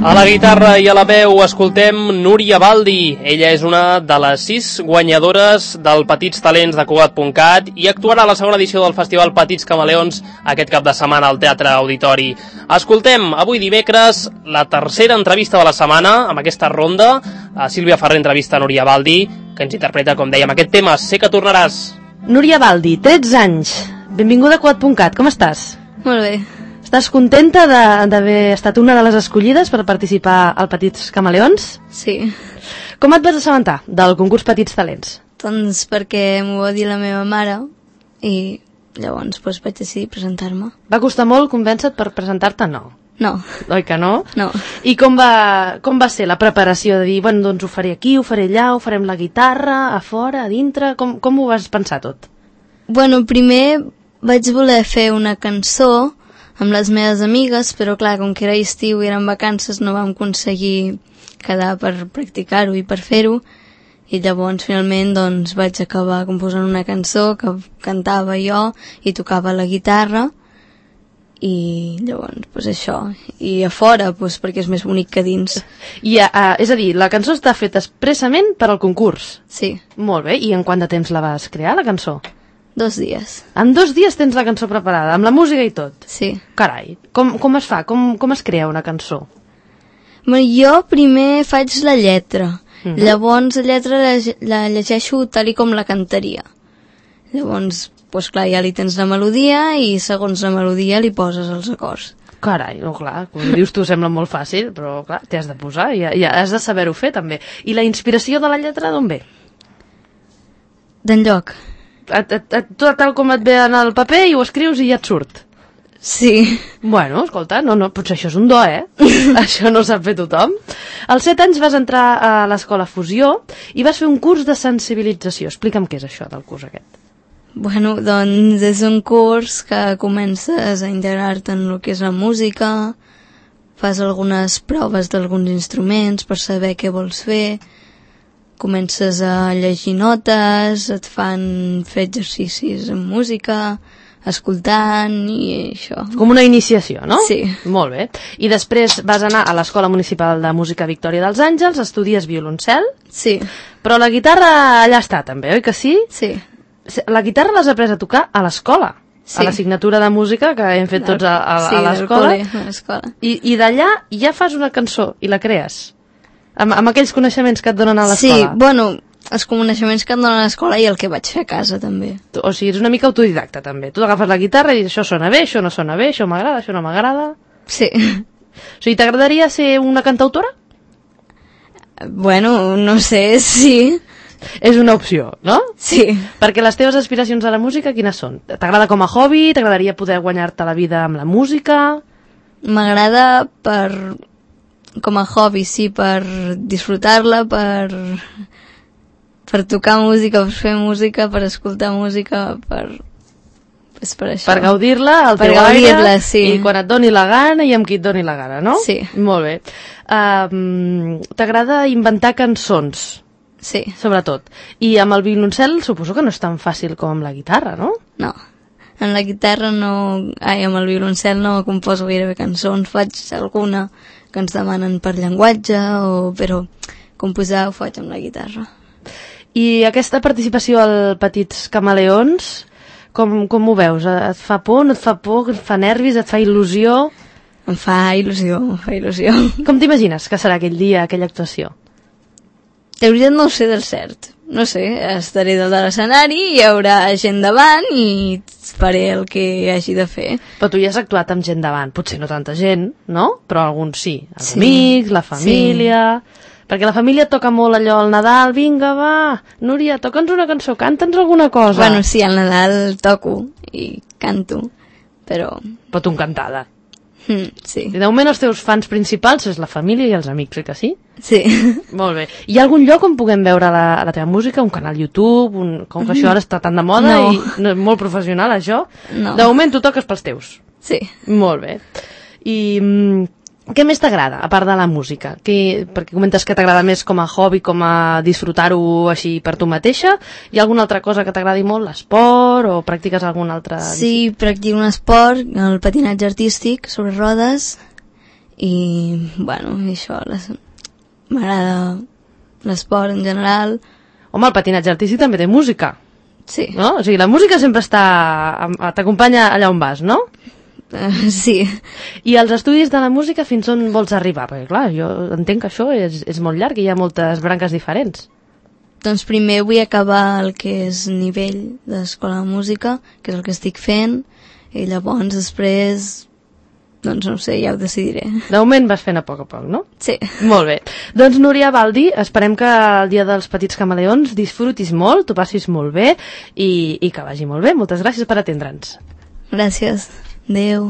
A la guitarra i a la veu escoltem Núria Baldi. Ella és una de les 6 guanyadores del Petits Talents de Cugat.cat i actuarà a la segona edició del Festival Petits Camaleons aquest cap de setmana al Teatre Auditori. Escoltem avui dimecres la tercera entrevista de la setmana amb aquesta ronda. Sílvia Ferrer entrevista a Núria Baldi, que ens interpreta, com dèiem, aquest tema, Sé que tornaràs. Núria Baldi, 13 anys. Benvinguda a Cugat.cat, com estàs? Molt bé. Estàs contenta d'haver estat una de les escollides per participar al Petits Camaleons? Sí. Com et vas assabentar del concurs Petits Talents? Doncs perquè m'ho va dir la meva mare i llavors vaig decidir presentar-me. Va costar molt convèncer-te per presentar-te? No. No. Oi que no? No. I com va ser la preparació de dir, bueno, doncs ho faré aquí, ho faré allà, ho farem la guitarra, a fora, a dintre? Com ho vas pensar tot? Bueno, primer vaig voler fer una cançó amb les meves amigues, però clar, com que era estiu i eren vacances no vam aconseguir quedar per practicar-ho i per fer-ho, i llavors finalment doncs vaig acabar composant una cançó que cantava jo i tocava la guitarra, i llavors pues això, i a fora pues, perquè és més bonic que dins. És a dir, la cançó està feta expressament per al concurs? Sí. Molt bé, i en quant de temps la vas crear, la cançó? 2 dies. En 2 dies tens la cançó preparada, amb la música i tot? Sí. Carai, com es fa? Com es crea una cançó? Jo primer faig la lletra, llavors la lletra la llegeixo tal i com la cantaria. Llavors, doncs clar, ja li tens la melodia i segons la melodia li poses els acords. Carai, no, clar, com dius tu sembla molt fàcil, però clar, t'hi has de posar i ja has de saber-ho fer també. I la inspiració de la lletra d'on ve? D'enlloc. Tot tal com et ve en el paper i ho escrius i ja et surt. Sí. Bueno, escolta, potser això és un do, Això no sap fer tothom. Als 7 anys vas entrar a l'escola Fusió i vas fer un curs de sensibilització. Explica'm què és això del curs aquest. Bueno, doncs és un curs que comences a integrar-te en el que és la música, fas algunes proves d'alguns instruments per saber què vols fer, comences a llegir notes, et fan fer exercicis amb música, escoltant i això. Com una iniciació, no? Sí. Molt bé. I després vas anar a l'Escola Municipal de Música Victòria dels Àngels, estudies violoncel. Sí. Però la guitarra allà està també, oi que sí? Sí. La guitarra l'has après a tocar a l'escola, sí. A l'assignatura de música que hem fet tots a l'escola. Sí, a l'escola. I d'allà ja fas una cançó i la crees? Amb aquells coneixements que et donen a l'escola? Sí, bueno, els coneixements que et donen a l'escola i el que vaig fer a casa, també. O sigui, és una mica autodidacta, també. Tu agafes la guitarra i dius, això sona bé, això no sona bé, això m'agrada, això no m'agrada... Sí. O sigui, t'agradaria ser una cantautora? Bueno, no sé, sí. És una opció, no? Sí. Perquè les teves aspiracions a la música, quines són? T'agrada com a hobby? T'agradaria poder guanyar-te la vida amb la música? M'agrada com a hobby, sí, per disfrutar-la, per tocar música, per fer música, per escoltar música, per això. Per gaudir-la al teu aire, sí. I quan et doni la gana i amb qui et doni la gana, no? Sí. Molt bé. T'agrada inventar cançons? Sí. Sobretot. I amb el violoncel suposo que no és tan fàcil com amb la guitarra, no? No. En la guitarra amb el violoncel no composo gairebé cançons, faig alguna que ens demanen per llenguatge, però composar ho faig amb la guitarra. I aquesta participació al Petits Camaleons, com ho veus? Et fa por, no et fa por, et fa nervis, et fa il·lusió? Em fa il·lusió, Com t'imagines que serà aquell dia, aquella actuació? De veritat no ho sé del cert. No sé, estaré dalt de l'escenari, hi haurà gent davant i faré el que hagi de fer. Però tu ja has actuat amb gent davant, potser no tanta gent, no? Però alguns sí, els amics, la família... Sí. Perquè la família toca molt allò al Nadal, vinga, va, Núria, toca'ns una cançó, canta'ns alguna cosa. Bueno, sí, al Nadal toco i canto, però... Però tu encantada. Sí. I de moment els teus fans principals és la família i els amics, oi que sí? Sí. Molt bé. Hi ha algun lloc on puguem veure la teva música? Un canal YouTube? Com que això ara està tan de moda i no, molt professional, això? No. De moment tu toques pels teus? Sí. Molt bé. I Què més t'agrada, a part de la música? Perquè comentes que t'agrada més com a hobby, com a disfrutar-ho així per tu mateixa. Hi ha alguna altra cosa que t'agradi molt? L'esport o practiques algun altre... Sí, practico un esport, el patinatge artístic sobre rodes i, bueno, això, m'agrada l'esport en general. Home, el patinatge artístic també té música. Sí. No? O sigui, la música sempre t'acompanya allà on vas, no? Sí. I els estudis de la música fins on vols arribar? Perquè clar, jo entenc que això és molt llarg i hi ha moltes branques diferents. Doncs primer vull acabar el que és nivell d'escola de música, que és el que estic fent, i llavors després, doncs no sé, ja ho decidiré. De moment vas fent a poc, no? Sí. Molt bé. Doncs Núria Baldi, esperem que el dia dels Petits Camaleons disfrutis molt, t'ho passis molt bé i que vagi molt bé. Moltes gràcies per atendre'ns. Gràcies. Adéu.